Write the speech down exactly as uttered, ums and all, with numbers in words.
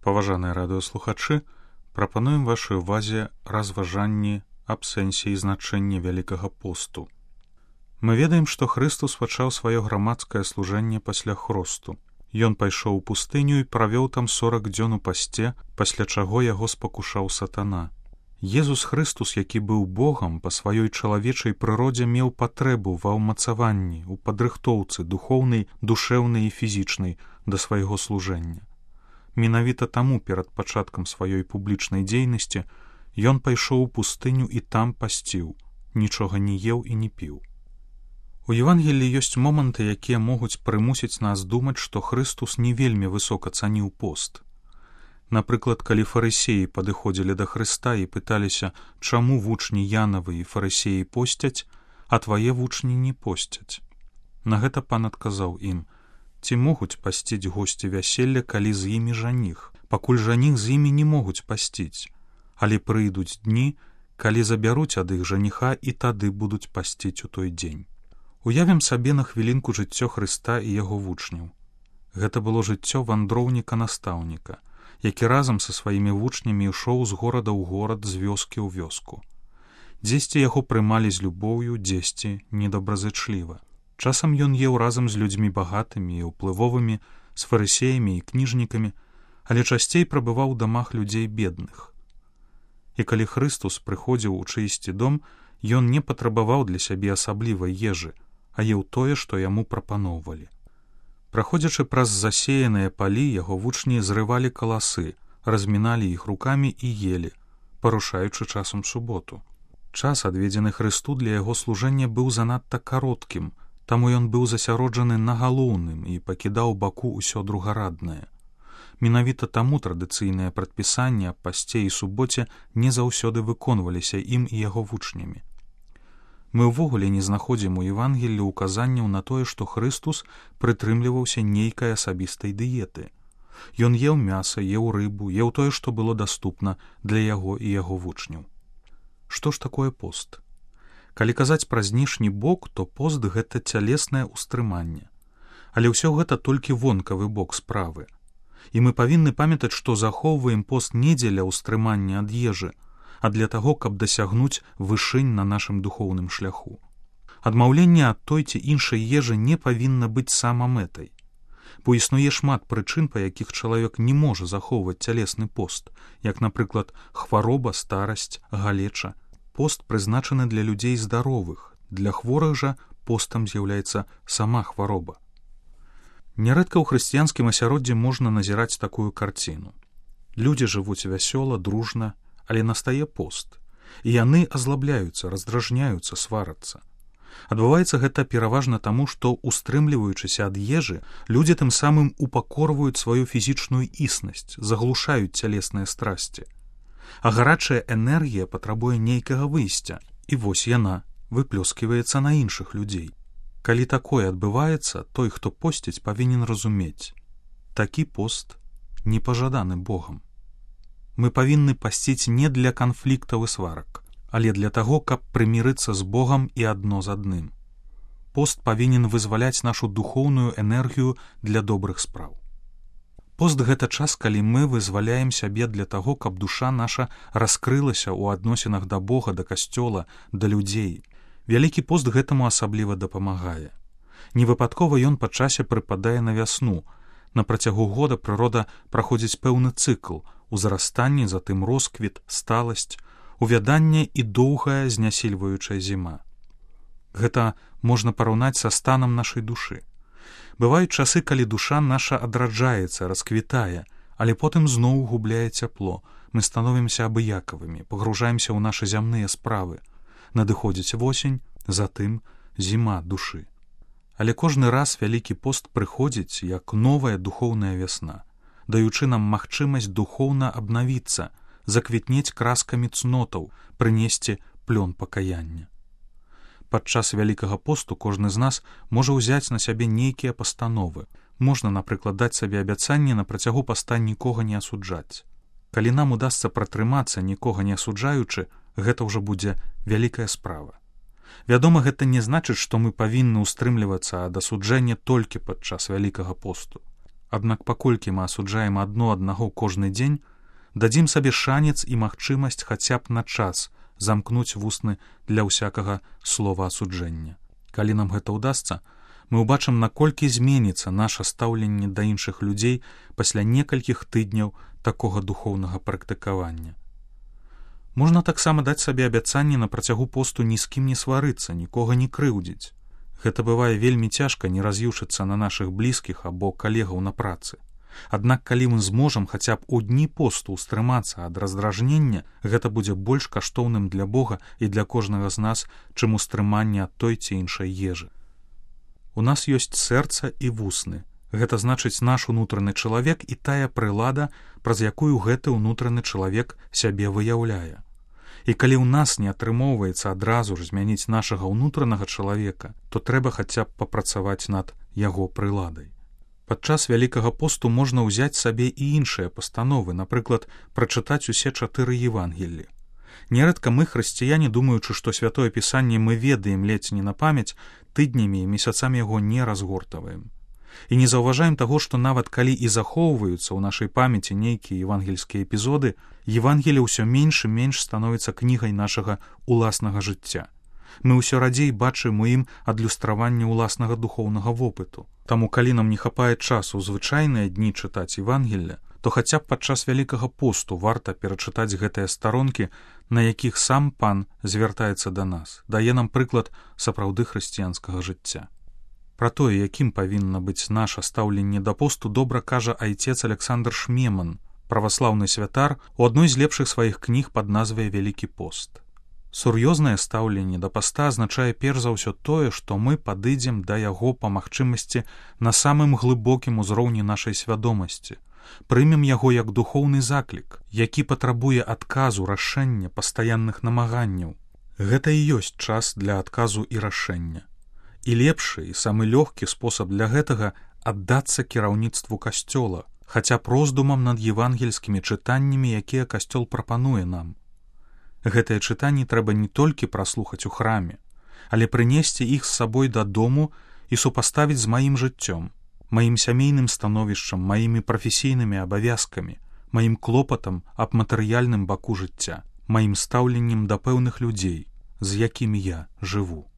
Паважаныя радыёслухачы, прапануем вашай увазе разважанні аб сэнсе і значэнні Вялікага посту. Мы ведаем, што Хрыстус пачаў сваё грамадскае служэнне пасля хросту. Ён пайшоў у пустыню і правёў там сорак дзён у пасце, пасля чаго яго спакушаў сатана. Езус Хрыстус, які быў Богам, па сваёй чалавечай прыродзе меў патрэбу ва ўмацаванні, у падрыхтоўцы духоўнай, душэўнай і фізічнай да свайго служэння. Менавіта таму перад пачаткам сваёй публічнай дзейнасці ён пайшоў у пустыню і там пасціў, нічога не еў і не піў. У Евангеліі ёсць моманты, якія могуць прымусіць нас думаць, што Хрыстус не вельмі высока цаніў пост. Напрыклад, калі фарысеі падыходзілі да Хрыста і пыталіся, чаму вучні Янавы і фарысеі посцяць, а твае вучні не посцяць. На гэта пан адказаў ім: ці могуць пасціць госці вяселля, калі з імі жаніх, пакуль жаніх з імі не могуць пасціць, але прыйдуць дні, калі забяруць ад іх жаніха і тады будуць пасціць у той дзень. Уявім сабе на хвілінку жыццё Хрыста і яго вучняў. Гэта было жыццё вандроўніка-настаўніка, які разам са сваімі вучнямі ішоў з горада ў горад, з вёскі ў вёску. Дзесьці яго прымалі з любоўю, дзесьці недобразычліва. Часам ён еў разам з людзьмі багатымі і ўплывовымі, з фарысеямі і кніжнікамі, але часцей прабываў у дамах людзей бедных. І калі Хрыстус прыходзіў у чыйсьці дом, ён не патрабаваў для сябе асаблівай ежы, а еў тое, што яму прапаноўвалі. Праходзячы праз засеяныя палі, яго вучні зрывалі каласы, разміналі іх рукамі і елі, парушаючы часам суботу. Час, адведзены Хрысту для яго служэння, быў занадта кароткім, таму ён быў засяроджаны на галоўным і пакідаў баку ўсё другараднае. Менавіта таму традыцыйныя прадпісанні аб пасце і суботе не заўсёды выконваліся ім і яго вучнямі. Мы ўвогуле не знаходзім у Евангеллі указанняў на тое, што Хрыстус прытрымліваўся нейкай асабістай дыеты. Ён еў мяса, еў рыбу, еў тое, што было даступна для яго і яго вучняў. Што ж такое пост? Калі казаць пра знешні бок, то пост — гэта цялеснае ўстрыманне. Але ўсё гэта толькі вонкавы бок справы. І мы павінны памятаць, што захоўваем пост не дзеля ўстрымання ад ежы, а для таго, каб дасягнуць вышынь на нашым духоўным шляху. Адмаўленне ад той ці іншай ежы не павінна быць самамэтай. Бо існуе шмат прычын, па якіх чалавек не можа захоўваць цялесны пост, як, напрыклад, хвароба, старасць, галеча. Пост прызначаны для людзей здаровых, для хворых жа постам з'яўляецца сама хвароба. Нярэдка ў хрысціянскім асяроддзі можна назіраць такую карціну. Людзі жывуць вясёла, дружна, але настае пост, і яны азлабляюцца, раздражняюцца, сварацца. Адбываецца гэта пераважна таму, што, устрымліваючыся ад ежы, людзі тым самым упакорваюць сваю фізічную існасць, заглушаюць цялесныя страсці. А гарачая энергія патрабуе нейкага выйсця, і вось яна выплёсківаецца на іншых людзей. Калі такое адбываецца, той, хто посціць, павінен разумець: такі пост не пажаданы Богам. Мы павінны пасціць не для канфліктаў і сварак, але для таго, каб прымірыцца з Богам і адно з адным. Пост павінен вызваляць нашу духоўную энергію для добрых спраў. Пост — гэта час, калі мы вызваляем сябе для таго, каб душа наша раскрылася ў адносінах да Бога, да касцёла, да людзей. Вялікі пост гэтаму асабліва дапамагае. Невыпадкова ён па часе прыпадае на вясну. На працягу года прырода праходзіць пэўны цыкл: узрастанне, затым росквіт, сталасць, увяданне і доўгая знясільваючая зіма. Гэта можна параўнаць са станам нашай душы. Бываюць часы, калі душа наша адраджаецца, расквітае, але потым зноў губляе цяпло. Мы становімся абыякавымі, пагружаемся ў нашы зямныя справы. Надыходзіць восень, затым зіма душы. Але кожны раз Вялікі пост прыходзіць як новая духоўная вясна, даючы нам магчымасць духоўна абнавіцца, заквітнець краскамі цнотаў, прынесці плён пакаяння. Падчас Вялікага посту кожны з нас можа ўзяць на сябе нейкія пастановы. Можна, напрыклад, даць сабе абяцанне на працягу паста нікога не асуджаць. Калі нам удасца пратрымацца, нікога не асуджаючы, гэта ўжо будзе вялікая справа. Вядома, гэта не значыць, што мы павінны ўстрымлівацца ад асуджэння толькі падчас Вялікага посту. Аднак паколькі мы асуджаем адно аднаго кожны дзень, дадзім сабе шанец і магчымасць хаця б на час замкнуць вусны для ўсякага слова асуджэння. Калі нам гэта ўдасца, мы ўбачым, наколькі зменіцца наша стаўленне да іншых людзей пасля некалькіх тыдняў такога духоўнага практыкавання. Можна таксама даць сабе абяцанне на працягу посту ні з кім не сварыцца, нікога не крыўдзіць. Гэта бывае вельмі цяжка не раз'юшыцца на нашых блізкіх або калегаў на працы. Аднак калі мы зможам хаця б у дні посту ўстрымацца ад раздражнення, гэта будзе больш каштоўным для Бога і для кожнага з нас, чым устрыманне ад той ці іншай ежы. У нас ёсць сэрца і вусны. Гэта значыць наш унутраны чалавек і тая прылада, праз якую гэты ўнутраны чалавек сябе выяўляе. І калі ў нас не атрымоўваецца адразу ж змяніць нашага ўнутранага чалавека, то трэба хаця б папрацаваць над яго прыладай. Падчас Вялікага посту можна ўзяць сабе і іншыя пастановы, напрыклад, прачытаць усе чатыры Евангеллі. Нярэдка мы, хрысціяне, думаючы, што Святое Пісанне мы ведаем ледзь не на памяць, тыднямі і месяцамі яго не разгортаваем. І не заўважаем таго, што нават калі і захоўваюцца ў нашай памяці нейкія евангельскія эпізоды, Евангелле ўсё менш і менш становіцца кнігай нашага уласнага жыцця. Мы ўсё радзей бачым у ім адлюстраванне ўласнага духоўнага вопыту. Таму калі нам не хапае часу ў звычайныя дні чытаць Евангелле, то хаця б падчас Вялікага посту варта перачытаць гэтыя старонкі, на якіх сам Пан звяртаецца да нас, дае нам прыклад сапраўды хрысціянскага жыцця. Пра тое, якім павінна быць наша стаўленне да посту, добра кажа айцец Александр Шмеман, праваслаўны святар, у адной з лепшых сваіх кніг пад назвай «Вялікі пост». Сур'ёзнае стаўленне да паста азначае перш за ўсё тое, што мы падыдзем да яго па магчымасці на самым глыбокім узроўні нашай свядомасці, прымем яго як духоўны заклік, які патрабуе адказу, рашэння, пастаянных намаганняў. Гэта і ёсць час для адказу і рашэння. І лепшы і самы лёгкі спосаб для гэтага аддацца кіраўніцтву касцёла, хаця б роздумам над евангельскімі чытаннямі, якія касцёл прапануе нам. Гэтыя чытанні трэба не толькі праслухаць у храме, але прынесці іх з сабой дадому і супаставіць з маім жыццём, маім сямейным становішчам, маімі прафесійнымі абавязкамі, маім клопатам аб матэрыяльным баку жыцця, маім стаўленнем да пэўных людзей, з якімі я жыву.